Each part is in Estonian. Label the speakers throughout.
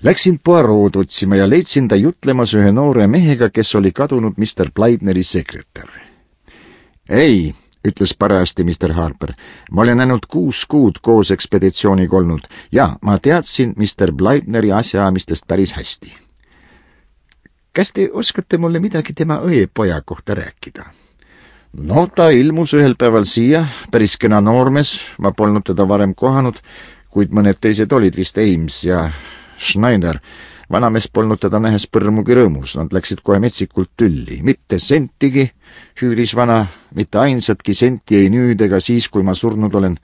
Speaker 1: Läksin Poirot otsima ja leidsin ta jutlemas ühe noore mehega, kes oli kadunud Mr. Blydeneri sekretär. Ei, ütles parajasti Mr. Harper, ma olen ainult 6 kuud koos ekspeditsiooniga olnud ja ma teadsin Mr. Blydeneri asjaamistest päris hästi. Kas te oskate mulle midagi tema õepoja kohta rääkida? No, ta ilmus ühel päeval siia, päris kena noormees, ma polnud teda varem kohanud, kuid mõned teised olid vist Ames ja Schneider. Vanamees polnud teda nähes põrmugi rõõmus, nad läksid kohe metsikult tülli. Mitte sentigi, hüüris vana, mitte ainsatki senti ei nüüd ega siis, kui ma surnud olen.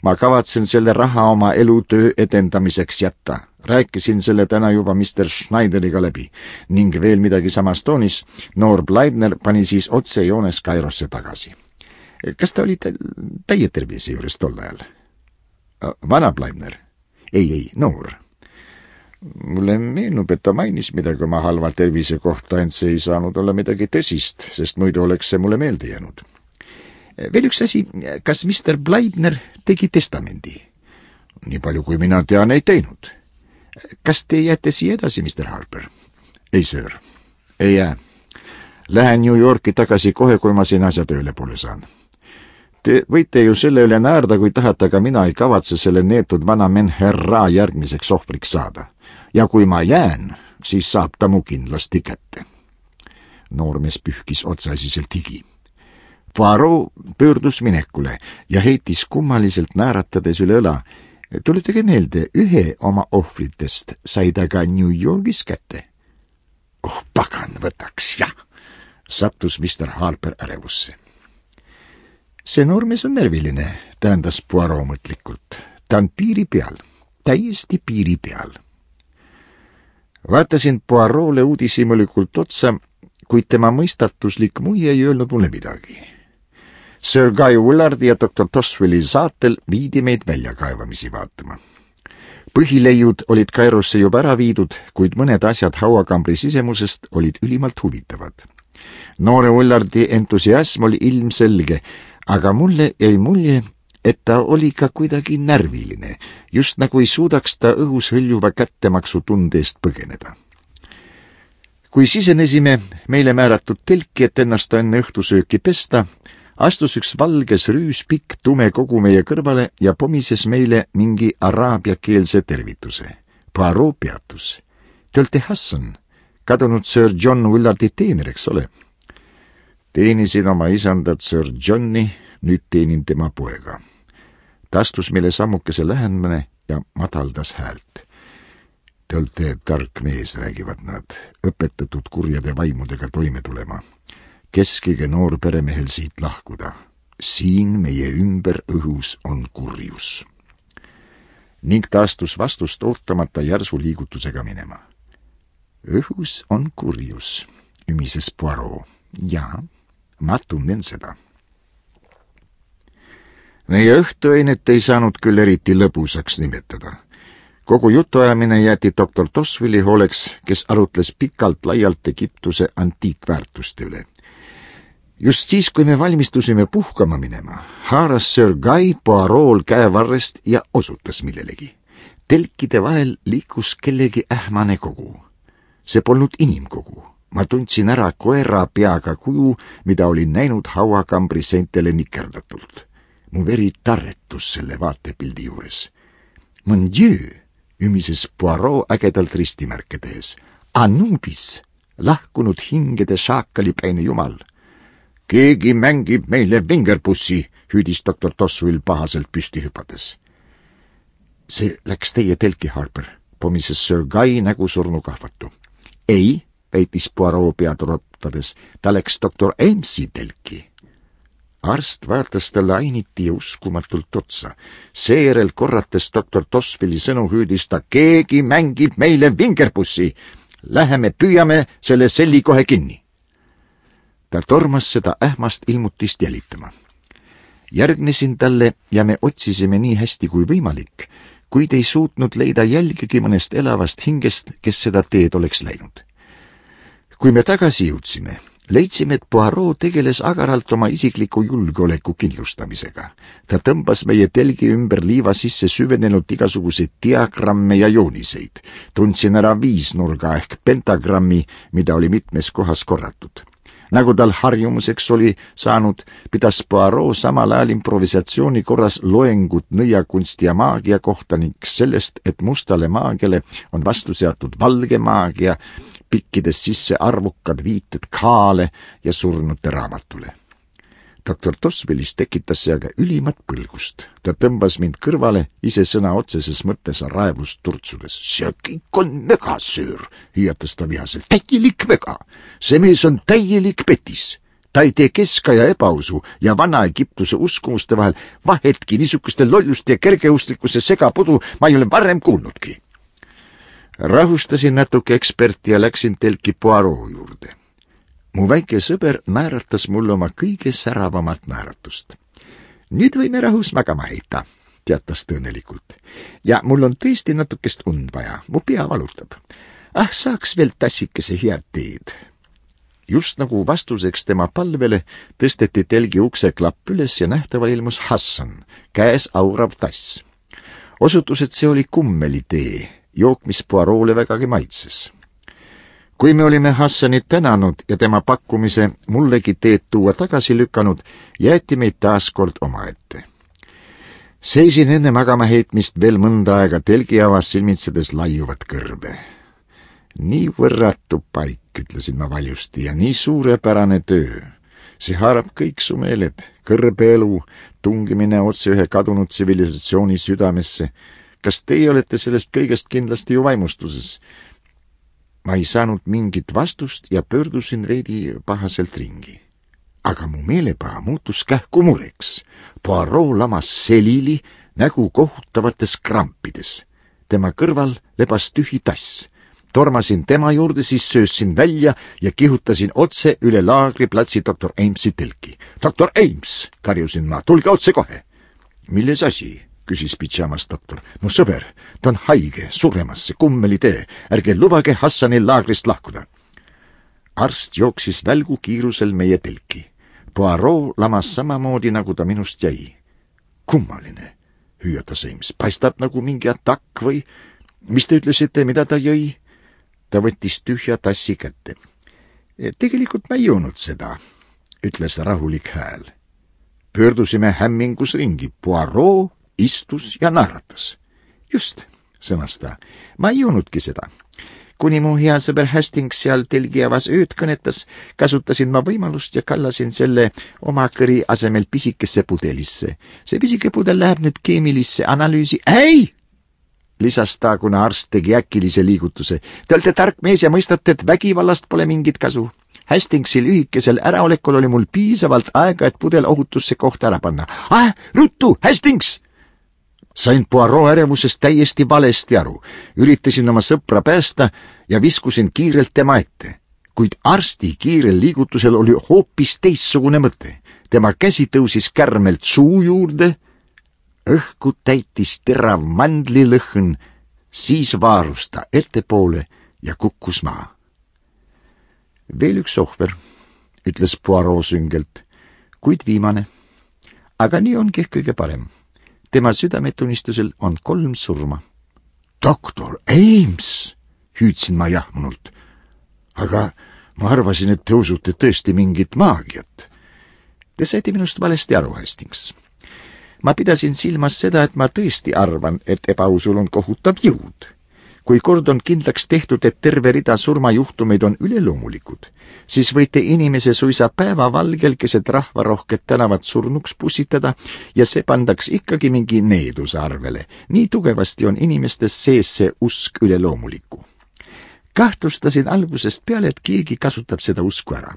Speaker 1: Ma kavatsen selle raha oma elutöö edendamiseks jätta. Rääkisin selle täna juba Mr. Schneideriga läbi ning veel midagi samas toonis. Noor Blydener pani siis otse joones Kairosse tagasi. Kas ta oli täie tervise juures tol ajal? Vana Blydener? Ei, noor. Mulle meenub, et ta mainis midagi oma halva tervise kohta, ent see ei saanud olla midagi tõsist, sest muidu oleks see mulle meelde jäänud. Veel üks asi, kas Mr. Blydener tegi testamendi? Nii palju kui mina tean, ei teinud. Kas te jääte siia edasi, Mr. Harper? Ei, sir. Ei jää. Lähen New Yorki tagasi kohe, kui ma siin asja tööle poole saan. Te võite ju selle üle naerda, kui tahate, aga mina ei kavatse selle neetud vana Menherra järgmiseks ohvriks saada. Ja kui ma jään, siis saab ta mu kindlasti kätte. Noormees pühkis otsaisiselt higi. Poirot pöördus minekule ja heitis kummaliselt nääratades üle õla. Tuletage meelde, ühe oma ohvritest sai ta ka New Yorgis kätte. Oh, pagan, võtaks, jah, sattus Mr. Harper ärevusse. See noormees on närviline, tähendas Poirot mõtlikult. Ta on piiri peal, täiesti piiri peal. Vaatasin Poirot'le uudishimulikult otsa, kuid tema mõistatuslik muie ei öelnud mulle midagi. Sir Guy Willardi ja Dr. Toswelli saatel viidi meid väljakaevamisi vaatama. Põhileiud olid Kairosse juba ära viidud, kuid mõned asjad hauakambri sisemusest olid ülimalt huvitavad. Noore Willardi entusiasm oli ilmselge, aga mulle jäi mulje, et ta oli ka kuidagi närviline, just nagu ei suudaks ta õhus hõljuva kättemaksu tunde eest põgeneda. Kui sisenesime meile määratud telki, et ennast enne õhtusööki pesta, astus üks valges rüüspikk tume kogu meie kõrvale ja pomises meile mingi araabiakeelse tervituse. Poirot peatus. Te olete Hassan, kadunud Sir John Willardi teener, eks ole? Teenisin oma isandat Sir Johni, nüüd teenin tema poega. Ta astus meile sammukese lähemale ja madaldas häält. Te olete tark mees, räägivad nad, õpetatud kurjade vaimudega toime tulema. Keskige noor peremehel siit lahkuda. Siin meie ümber õhus on kurjus. Ning ta astus vastust ootamata järsu liigutusega minema. Õhus on kurjus, ümises Poirot. Jaa, ma tunnen seda. Meie õhtuainet ei saanud küll eriti lõbusaks nimetada. Kogu jutuajamine jäeti Dr. Toswelli hooleks, kes arutles pikalt laialt Egiptuse antiikväärtuste üle. Just siis, kui me valmistusime puhkama minema, haaras Sir Guy Poirot'l käevarrest ja osutas millelegi. Telkide vahel liikus kellegi ähmane kogu. See polnud inimkogu. Ma tundsin ära koera peaga kuju, mida olin näinud hauakambri seintele nikerdatult. Mu veri tarretus selle vaatepildi juures. Mon Dieu, ümises Poirot ägedalt ristimärke tehes. Anubis, lahkunud hingede šaakalipäine jumal. Keegi mängib meile vingerpussi, hüüdis Dr. Toswell pahaselt püsti hüpades. See läks teie telki, Harper, pomises Sir Guy nägu surnukahvatu. Ei, väitis Poirot pead rotades, ta läks Dr. Amesi telki. Arst vaatas talle ainiti ja uskumatult otsa. Seejärel korrates Dr. Toswelli sõnu hüüdis ta, keegi mängib meile vingerpussi. Läheme püüame selle selli kohe kinni. Ta tormas seda ähmast ilmutist jälitama. Järgnesin talle ja me otsisime nii hästi kui võimalik, kuid ei suutnud leida jälgigi mõnest elavast hingest, kes seda teed oleks läinud. Kui me tagasi jõudsime, Leidsime, et Poirot tegeles agaralt oma isikliku julgeoleku kindlustamisega. Ta tõmbas meie telgi ümber liiva sisse süvenenud igasuguseid diagramme ja jooniseid. Tundsin ära viisnurga ehk pentagrammi, mida oli mitmes kohas korratud. Nagu tal harjumuseks oli saanud, pidas Poirot samal ajal improvisatsiooni korras loengut nõiakunsti ja maagia kohta ning sellest, et mustale maagiale on vastu seatud valge maagia, pikkides sisse arvukad viited kaale ja surnute raamatule. Doktor Toswellis tekitas see aga ülimat põlgust. Ta tõmbas mind kõrvale, ise sõna otseses mõttes raevust turtsudes. See kõik on mega, söör, hüüatas ta vihaselt. Täielik mega! See mees on täielik petis. Ta ei tee keskaja ebausu ja vana Egiptuse uskumuste vahel vahetki niisuguste lolluste ja kergeustlikkuse segapudu ma ei ole varem kuulnudki. Rahustasin natuke eksperti ja läksin telki Poirot juurde. Mu väike sõber naeratas mulle oma kõige säravamat naeratust. Nüüd võime rahus magama heita, teatas tõenelikult. Ja mul on tõesti natukest und vaja, mu pea valutab. Saaks veel tassikese head teed. Just nagu vastuseks tema palvele tõsteti telgi ukse klapp üles ja nähtaval ilmus Hassan, käes aurav tass. Osutus, et see oli kummelitee, jook, mis Poirot'le vägagi maitses. Kui me olime Hassanit tänanud ja tema pakkumise mullegi teed tuua tagasi lükanud, jäeti meid taas kord omaette. Seisin enne magama heitmist veel mõnda aega telgiavas silmitsedes laiuvat kõrbe. Nii võrratu paik, ütlesin ma valjusti, ja nii suurepärane töö. See haarab kõik su meeled, kõrbeelu, tungimine otse ühe kadunud tsivilisatsiooni südamesse. Kas teie olete sellest kõigest kindlasti ju vaimustuses? Ma ei saanud mingit vastust ja pöördusin veidi pahaselt ringi. Aga mu meelepaha muutus kähku mureks. Poirot lamas selili, nägu kohutavates krampides. Tema kõrval lebas tühi tass. Tormasin tema juurde, siis söössin välja ja kihutasin otse üle laagriplatsi doktor Amesi telki. Doktor Ames, karjusin ma, tulge otse kohe. Milles asi? Küsis pidžamas doktor. Mu sõber, ta on haige, suremasse, kummelitee. Ärge lubage Hassanil laagrist lahkuda. Arst jooksis välgu kiirusel meie telki. Poirot lamas samamoodi, nagu ta minust jäi. Kummaline, hüüatas Ames. Paistab nagu mingi atakk või? Mis te ütlesite, mida ta jõi? Ta võttis tühja tassi kätte. Tegelikult ma ei joonud seda, ütles rahulik hääl. Pöördusime hämmingus ringi. Poirot istus ja naeratas. Just, sõnas ta, ma ei joonudki seda. Kuni mu hea sõber Hastings seal telgiavas ööd kõnetas, kasutasin ma võimalust ja kallasin selle oma kõri asemel pisikesse pudelisse. See pisike pudel läheb nüüd keemilisse analüüsi. Ei! Lisas ta, kuna arst tegi äkilise liigutuse. Te olete tark mees ja mõistate, et vägivallast pole mingit kasu. Hastingsi lühikesel äraolekul oli mul piisavalt aega, et pudel ohutusse kohta ära panna. Ruttu, Hastings! Sain Poirot ärevusest täiesti valesti aru. Üritasin oma sõpra päästa ja viskusin kiirelt tema ette. Kuid arsti kiirel liigutusel oli hoopis teissugune mõte. Tema käsi tõusis kärmelt suu juurde, õhku täitis terav mandlilõhn, siis vaarus ta ettepoole ja kukkus maha. Veel üks ohver, ütles Poirot süngelt, kuid viimane. Aga nii ongi kõige parem. Tema südametunnistusel on 3 surma. Doktor Ames, hüüdsin ma jahmunult. Aga ma arvasin, et te usute tõesti mingit maagiat. Te saite minust valesti aru, Hastings. Ma pidasin silmas seda, et ma tõesti arvan, et ebausul on kohutav jõud. Kui kord on kindlaks tehtud, et terve rida surmajuhtumeid on üleloomulikud, siis võite inimese suisa päevavalgel keset rahvarohket tänavat surnuks pussitada ja see pandaks ikkagi mingi needuse arvele. Nii tugevasti on inimestes sees see usk üleloomulikku. Kahtlustasin algusest peale, et keegi kasutab seda usku ära.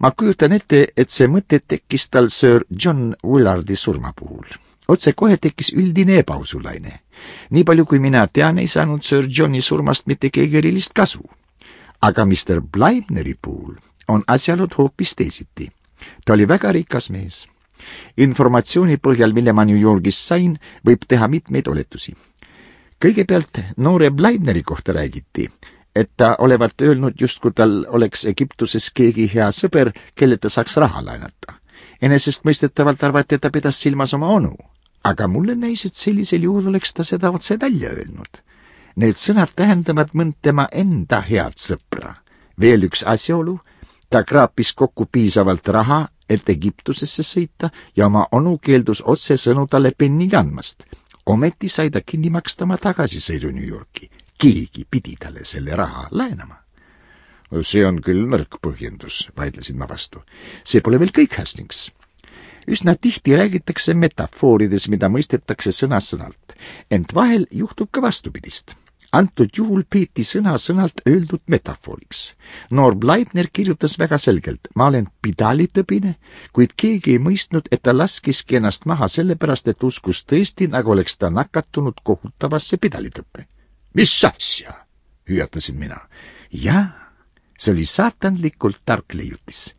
Speaker 1: Ma kujutan ette, et see mõte tekkis tal Sir John Willardi surma puhul. Otse kohe tekkis üldine ebausulaine. Nii palju kui mina tean, ei saanud Sir Johni surmast mitte keegi erilist kasu. Aga Mr. Blaibneri puhul on asjalud hoopis teisiti. Ta oli väga rikas mees. Informatsiooni põhjal, mille ma New Yorgis sain, võib teha mitmeid oletusi. Kõigepealt noore Blaibneri kohta räägiti, et ta olevat öelnud, justkui tal oleks Egiptuses keegi hea sõber, kelle ta saaks raha laenata. Enesestmõistetavalt arvati, et ta pidas silmas oma onu, aga mulle näis, et sellisel juhul oleks ta seda otse välja öelnud. Need sõnad tähendavad mõnd tema enda head sõpra. Veel üks asjaolu, ta kraapis kokku piisavalt raha, et Egiptusesse sõita ja oma onu keeldus otsesõnu talle penni andmast. Ometi sai ta kinni maksta oma tagasisõidu New Yorki. Keegi pidi talle selle raha laenama. See on küll nõrk põhjendus, vaidlesin ma vastu. See pole veel kõik, Hastings. Üsna tihti räägitakse metafoorides, mida mõistetakse sõna-sõnalt, ent vahel juhtub ka vastupidist. Antud juhul peeti sõna-sõnalt öeldud metafooriks. Noor Bleibner kirjutas väga selgelt, ma olen pidalitõbine, kuid keegi ei mõistnud, et ta laskiski ennast maha sellepärast, et uskus tõesti, nagu oleks ta nakatunud kohutavasse pidalitõppe. Mis asja? Hüüatasin mina. Jaa, see oli saatanlikult tark leiutis.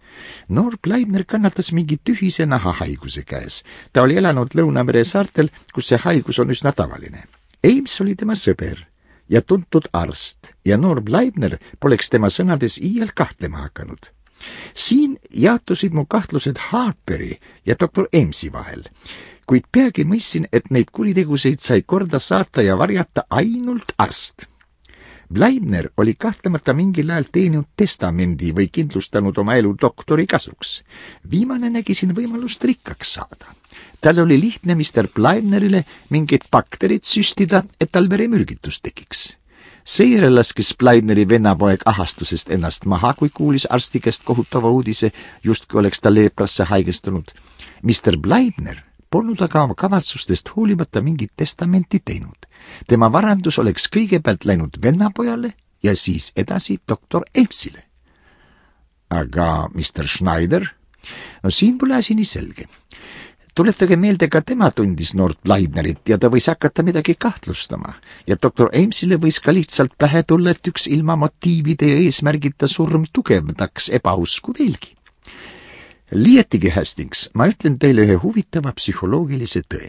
Speaker 1: Noor Bleibner kannatas mingi tühise nahahaiguse käes. Ta oli elanud Lõunamere saartel, kus see haigus on üsna tavaline. Ames oli tema sõber ja tuntud arst ja noor Bleibner poleks tema sõnades iial kahtlema hakanud. Siin jaotusid mu kahtlused Harperi ja doktor Amesi vahel, kuid peagi mõistsin, et neid kuriteguseid sai korda saata ja varjata ainult arst. Bleibner oli kahtlemata mingil ajal teeninud testamendi või kindlustanud oma elu doktori kasuks. Viimane nägi siin võimalust rikkaks saada. Tal oli lihtne Mr. Bleibnerile mingid bakterid süstida, et tal veremürgitus tekiks. Seejärel laskis Bleibneri vennapoeg ahastusest ennast maha, kui kuulis arsti käest kohutava uudise, justkui oleks ta leeprasse haigestunud. Mr. Bleibner polnud aga oma kavatsustest hoolimata mingit testamenti teinud. Tema varandus oleks kõigepealt läinud vennapojale ja siis edasi doktor Amesile. Aga Mr. Schneider? No siin pole asi nii selge. Tuletage meelde, ka tema tundis noort Bleibnerit ja ta võis hakata midagi kahtlustama. Ja doktor Amesile võis ka lihtsalt pähe tulla, et üks ilma motiivide ja eesmärgita surm tugevdaks ebausku veelgi. Liiatigi, Hastings, ma ütlen teile ühe huvitava psühholoogilise tõe.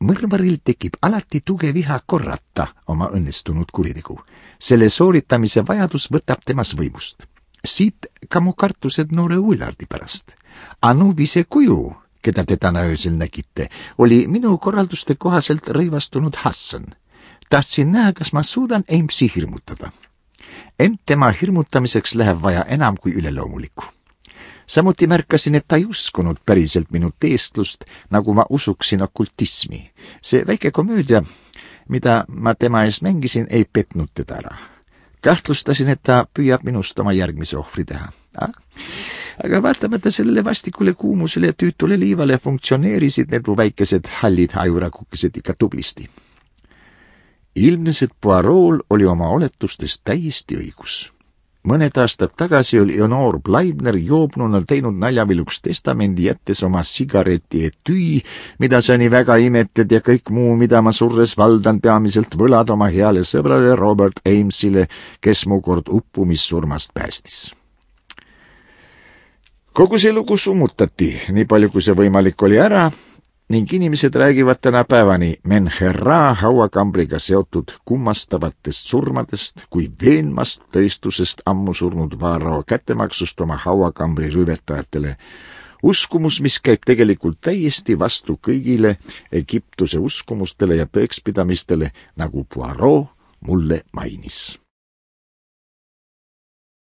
Speaker 1: Mõrvaril tekib alati tugev viha korrata oma õnnestunud kuritegu. Selle sooritamise vajadus võtab temas võimust. Siit ka mu kartused noore Willardi pärast. Anubise kuju, keda te täna öösel nägite, oli minu korralduste kohaselt rõivastunud Hassan. Tahtsin näha, kas ma suudan Amesi hirmutada. Ent tema hirmutamiseks läheb vaja enam kui üleloomulikku. Samuti märkasin, et ta ei uskunud päriselt minu teestlust, nagu ma usuksin okultismi. See väike komöödia, mida ma tema ees mängisin, ei petnud teda ära. Kahtlustasin, et ta püüab minust oma järgmise ohvri teha. Aga vaatamata sellele vastikule kuumusele ja tüütule liivale funktsioneerisid need mu väikesed hallid ajurakukesed ikka tublisti. Ilmnes, et Poirot oli oma oletustest täiesti õigus. Mõned aastad tagasi oli noor Bleibner joobnuna teinud naljaviluks testamendi, jättes oma sigareti etüü, mida sa nii väga imetled ja kõik muu, mida ma surres valdan, peamiselt võlad oma heale sõbrale Robert Amesile, kes mu kord uppumissurmast päästis. Kogu see lugu summutati, nii palju kui see võimalik oli ära, ning inimesed räägivad tänapäevani Menherra hauakambriga seotud kummastavatest surmadest kui veenmast tõestusest ammu surnud Varro kättemaksust oma hauakambri rüvetajatele. Uskumus, mis käib tegelikult täiesti vastu kõigile Egiptuse uskumustele ja tõekspidamistele, nagu Poirot mulle mainis.